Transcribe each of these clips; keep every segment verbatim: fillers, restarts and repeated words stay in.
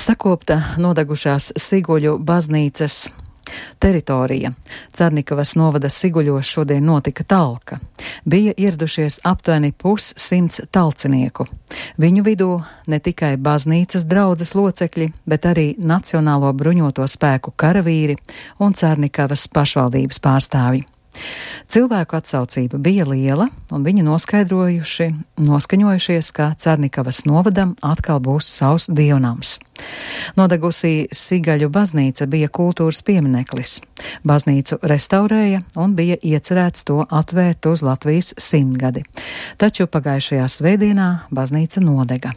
Sakopta nodegušās Siguļu baznīcas teritorija. Carnikavas novada Siguļos šodien notika talka. Bija ieradušies aptuveni pussimts talcinieku. Viņu vidū ne tikai baznīcas draudzes locekļi, bet arī Nacionālo bruņoto spēku karavīri un Carnikavas pašvaldības pārstāvji. Cilvēku atsaucība bija liela, un viņi noskaidrojuši, noskaņojušies, ka Carnikavas novadam atkal būs savs dievnams. Nodegusī Sigaļu baznīca bija kultūras piemineklis. Baznīcu restaurēja un bija iecerēts to atvērt uz Latvijas simtgadi, taču pagājušajā svētdienā baznīca nodega.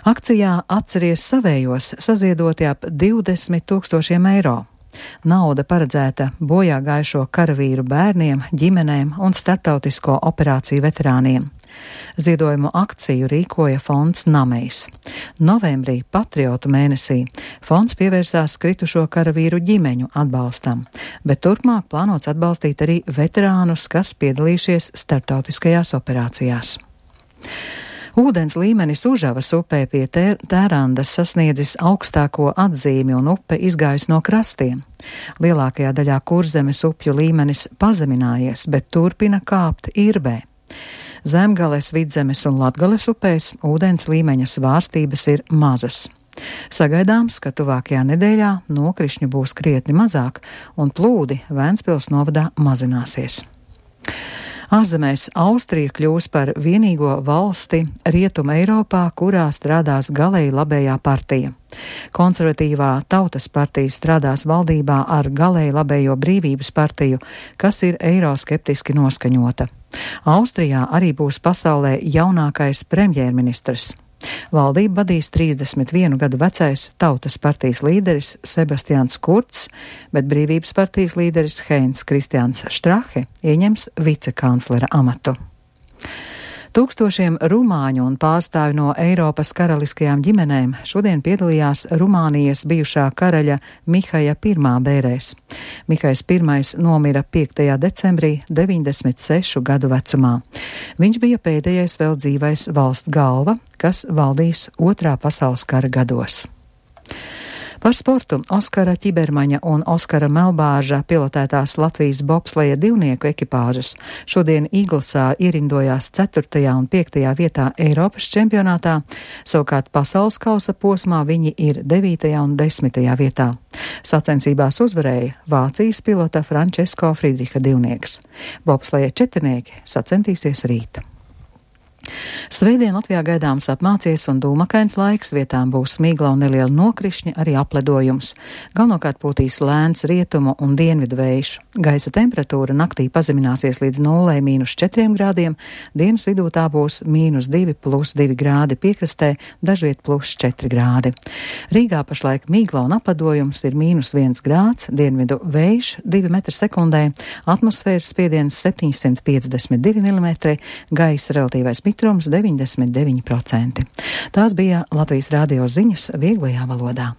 Akcijā Atceries savējos saziedoti ap divdesmit tūkstošiem eiro. Nauda paredzēta bojā gājušo karavīru bērniem, ģimenēm un starptautisko operāciju veterāniem. Ziedojumu akciju rīkoja fonds Namejs. Novembrī Patriotu mēnesī fonds pievērsās kritušo karavīru ģimeņu atbalstam, bet turpmāk plānots atbalstīt arī veterānus, kas piedalījušies starptautiskajās operācijās. Ūdens līmenis Užavas upē pie Tērandas sasniedzis augstāko atzīmi un upe izgājis no krastiem. Lielākajā daļā Kurzemes upju līmenis pazeminājies, bet turpina kāpt Irbē. Zemgales, Vidzemes un Latgales upēs ūdens līmeņa svārstības ir mazas. Sagaidāms, ka tuvākajā nedēļā nokrišņu būs krietni mazāk un plūdi Vēnspils novadā mazināsies. Ārzemēs Austrija kļūs par vienīgo valsti Rietuma Eiropā, kurā strādās galēji labējā partija. Konservatīvā Tautas partija strādās valdībā ar galēji labējo Brīvības partiju, kas ir eiroskeptiski noskaņota. Austrijā arī būs pasaulē jaunākais premjerministrs. Valdību vadīs trīsdesmit vienu gadu vecais Tautas partijas līderis Sebastians Kurts, bet Brīvības partijas līderis Heinz Kristians Strahe ieņems vicekanclera amatu. Tūkstošiem rumāņu un pārstāvi no Eiropas karaliskajām ģimenēm šodien piedalījās Rumānijas bijušā karaļa Mihaja pirmā bērēs. Mihajs pirmais nomira piektajā decembrī deviņdesmit sešu gadu vecumā. Viņš bija pēdējais vēl dzīvais valsts galva, kas valdīs otrā pasaules kara gados. Par sportu Oskara Ķibermaņa un Oskara Melbāža pilotētās Latvijas bobsleja divnieku ekipāžas šodien Īglsā ierindojās ceturtajā un piektajā vietā Eiropas čempionātā, savukārt pasaules kausa posmā viņi ir devītajā un desmitajā vietā. Sacensībās uzvarēja Vācijas pilota Frančesko Friedriha divnieks. Bobsleja četrnieki sacensties rīt. Svētdien Latvijā gaidāms apmācies un dūmakains laiks, vietām būs migla un neliela nokrišņa, arī apledojums. Galvenokārt pūtīs lēns rietumu un dienvidu vējš. Gaisa temperatūra naktī pazemināsies līdz nulē mīnus četriem grādiem, dienas vidū tā būs mīnus divi plus divi grādi piekrastē, dažviet plus četri grādi. Rīgā pašlaik migla un apledojums ir mīnus viens grāds, dienvidu vējš divi metri sekundē, atmosfēras spiediens septiņsimt piecdesmit divi milimetri, gaisa relatīvais mitrums deviņdesmit deviņi procenti. Tās bija Latvijas radio ziņas vieglajā valodā.